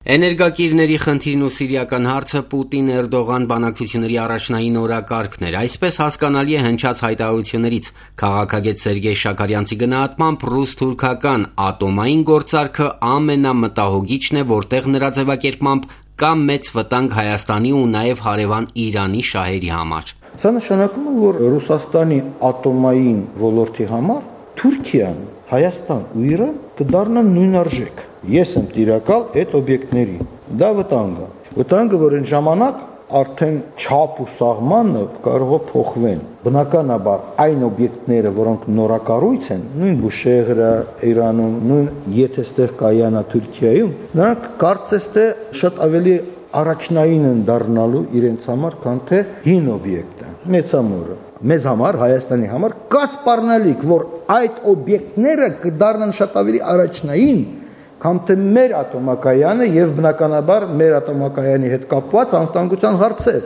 Էներգակիրների խնդիրն ու սիրիական հարցը Պուտին-Էրդողան բանակցությունների առաջնային օրակարգն էր, այսպես հասկանալի է հնչած հայտարարություններից։ Քաղաքագետ Սերգեյ Շաքարյանցի գնահատմամբ ռուս-թուրքական ատոմային գործարքը ամենամտահոգիչն է, որտեղ նրա ձևակերպմամբ կա մեծ վտանգ Հայաստանի ու նաև հարևան Իրանի շահերի համար։ Սա նշանակում է, որ Ռուսաստանի ատոմային ոլորտի համար Թուրքիան, Հայաստան ու Իրան կդառնան նույն արժեք։ Ես եմ տիրակալ այդ օբյեկտների։ Դա վտանգ է։ Վտանգը, որ այն ժամանակ արդեն չափ ու սահմանը կարող է փոխվեն։ Բնականաբար այն օբյեկտները, որոնք նորակառույց են, նույն Բուշեհրը Իրանում, նույն եթե ստեղ կայանա Թուրքիայում, նրանք կարծես թե շատ ավելի առաջնային են դառնալու իրենց համար, քան թե հին օբյեկտը։ Մեծամորը մեզ համար, Հայաստանի համար կա սպառնալիք, որ այդ օբյեկտները կդառնան շատ ավելի առաջնային, քան թե մեր ատոմակայանը եւ բնականաբար մեր ատոմակայանի հետ կապված անվտանգության հարցեր։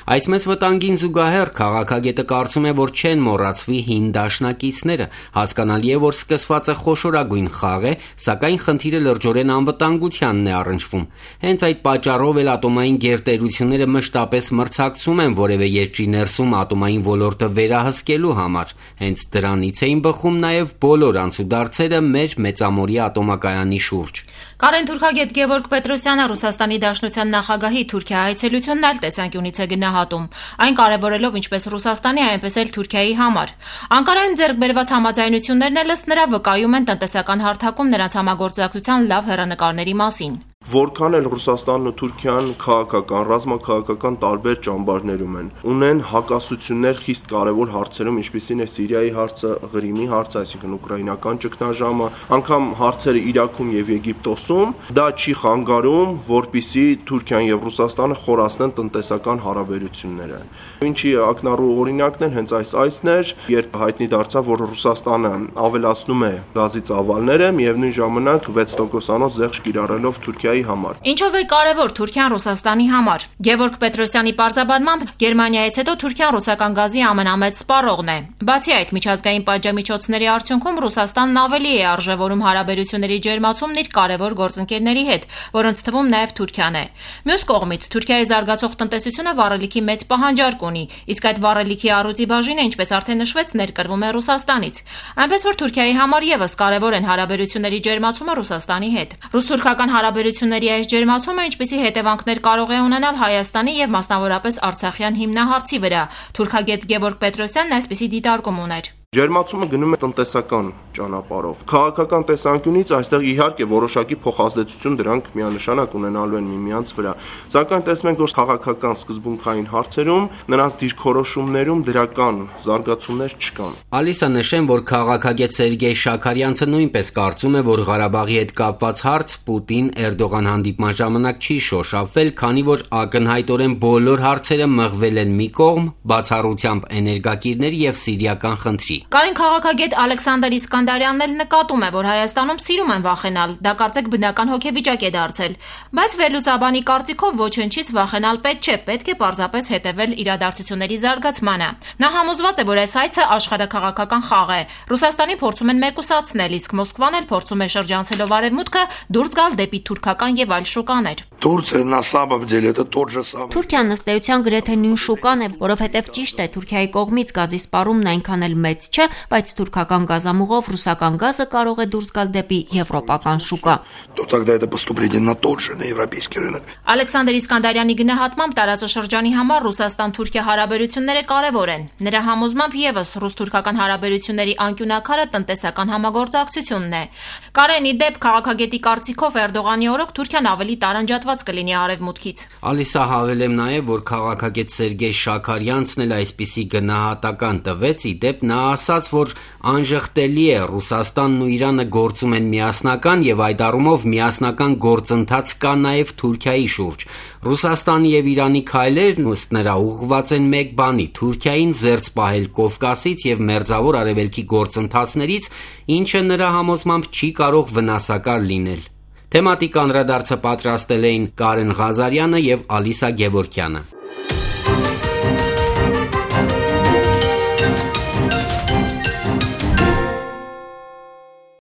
Այս մեծ վտանգին զուգահեռ քաղաքագետը կարծում է, որ չեն մոռացվի հին դաշնակիցները։ Հասկանալի է, որ սկսվածը խոշորագույն խաղ է, սակայն խնդիրը լրջորեն անվտանգությանն է առնչվում։ Հենց այդ պատճառով էլ ատոմային գերտերությունները մշտապես մրցակցում են որևէ երկրի ներսում ատոմային ոլորտը վերահսկելու համար։ Հենց դրանից էին բխում նաև բոլոր անցուդարձերը մեր մեծամորի ատոմակայանի շուրջ։ Կարեն թուրքագետ Գևորգ Պետրոսյանը Ռուսաստանի Դաշնության նախագահի Թուրքիա այցելությունն այլ տեսանկյունից է գնահատում, այն կարևորելով ինչպես Ռուսաստանի, այնպես էլ Թուրքիայի համար։ Անկարայում ձեռք բերված համաձայնություններն էլ ըստ նրա վկայում են տնտեսական հարթակում նրանց համագործակցության լավ հեռանկարների մասին։ Որքան էլ Ռուսաստանն ու Թուրքիան քաղաքական, ռազմաքաղաքական տարբեր ճամբարներում են, ունեն հակասություններ խիստ կարևոր հարցերում, ինչպիսին է Սիրիայի հարցը, Ղրիմի հարցը, այսինքն ուկրաինական ճգնաժամը, անգամ հարցերը Իրաքում եւ Եգիպտոսում, դա չի խանգարում, որպիսի Թուրքիան եւ Ռուսաստանը խորացնեն տնտեսական հարաբերությունները։ Ինչի ակնառու օրինակն են հենց այս այցն էր, երբ հայտնի դարձավ, որ Ռուսաստանը ավելացնում է գազի ծավալները, միևնույն ժամանակ 6%-անոց զեղչ կիրառելով Թուրքիայի համար։ Ինչով է կարևոր Թուրքիան Ռուսաստանի համար։ Գևորգ Պետրոսյանի պարզաբանմամբ Գերմանիայից հետո Թուրքիան ռուսական գազի ամենամեծ սպառողն է։ Բացի այդ, միջազգային պատժամիջոցների արդյունքում Ռուսաստանն ավելի է արժևորում հարաբերությունների ջերմացումն իր կարևոր գործընկերների հետ, որոնց թվում նաև Թուրքիան է։ Մյուս կողմից, Թուրքիայի զարգացող տնտեսությունը վառելիքի մեծ պահանջարկ ունի, իսկ այդ վառելիքի առյուծի բաժինը, ինչպես արդեն նշվեց, ներկրվում է Ռուսաստանից։ Այնպես որ Թուրքիայի համար եւս կարևոր են հարաբերությունների ջերմացումը Ռուսաստանի հետ։ Ռուս-թուրքական հարաբերությունների այս ջերմացումը ինչպիսի հետևանքներ կարող է ունենալ Հայաստանի եւ մասնավորապես Արցախյան հիմնահարցի վրա։ Թուրքագետ Գևորգ Պետրոսյանն այսպիսի դիտարկում ուներ։ Ջերմացումը գնում է տնտեսական ճանապարհով։ Քաղաքական տեսանկյունից այստեղ իհարկե որոշակի փոխազդեցություն դրանք միանշանակ ունենալու են միմյանց վրա։ Սակայն տեսնում ենք, որ քաղաքական սկզբունքային հարցերում նրանց դիրքորոշումներում դրական զարգացումներ չկան։ Ալիսա նշեմ, որ քաղաքագետ Սերգեյ Շաքարյանցը նույնպես կարծում է, որ Ղարաբաղի հետ կապված հարց Պուտին-Էրդողան հանդիպման ժամանակ չի շոշափվել, քանի որ ակնհայտորեն բոլոր հարցերը մղվել են մի կողմ, բացառությամբ էներգակիրների եւ սիրիական խնդրի։ Կարեն քաղաքագետ Ալեքսանդր Իսկանդարյանն էլ նկատում է, որ Հայաստանում սիրում են վախենալ, դա կարծեք բնական հոգեվիճակ է դարձել, բայց վերլուծաբանի կարծիքով ոչնչից վախենալ պետք չէ, պետք է պարզապես հետևել իրադարձությունների զարգացմանը։ Նա համոզված է, որ այս այցը աշխարհաքաղաքական խաղ է։ Ռուսաստանի փորձում են մեկուսացնել, իսկ Մոսկվան էլ փորձում է շրջանցելով արևմուտքը դուրս գալ դեպի թուրքական եւ այլ շուկաներ։ Թուրքիան ըստ էության գրեթե նույն շուկան է, որովհետև ճիշտ է, Թուրքիայի կողմից գազի սպառումն այնքան էլ մեծ չէ, բայց թուրքական գազամուղով ռուսական գազը կարող է դուրս գալ դեպի եվրոպական շուկա։ Ալեքսանդր Իսկանդարյանի գնահատմամբ տարածաշրջանի համար Ռուսաստան-Թուրքիա հարաբերությունները կարևոր են։ Նրա համոզմամբ եւս ռուս-թուրքական հարաբերությունների անկյունաքարը տնտեսական համագործակցությունն է։ Կարենի դեպ քաղաքագետի կարծիքով Էրդողանի օրոք Թուրքիան ավելի տարանջատված կլինի արևմուտքից։ Ալիսա հավելեմ նաև, որ քաղաքագետ Սերգեյ Շաքարյանցն էլ այսպիսի գնահատական տվեց, ի դեպ նա ասաց, որ անժխտելի է Ռուսաստանն ու Իրանը գործում են միասնական եւ այդ առումով միասնական գործընթաց կա նաև Թուրքիայի շուրջ։ Ռուսաստանի եւ Իրանի քայլերն ըստ նրա ուղղված են մեկ բանի՝ Թուրքիային զերծ պահել Կովկասից եւ Մերձավոր Արևելքի գործընթացներից, ինչը նրա համոզմամբ չի կարող վնասակար լինել։ Թեմատիկ անդրադարձը պատրաստել էին Կարեն Ղազարյանը եւ Ալիսա Գևորգյանը։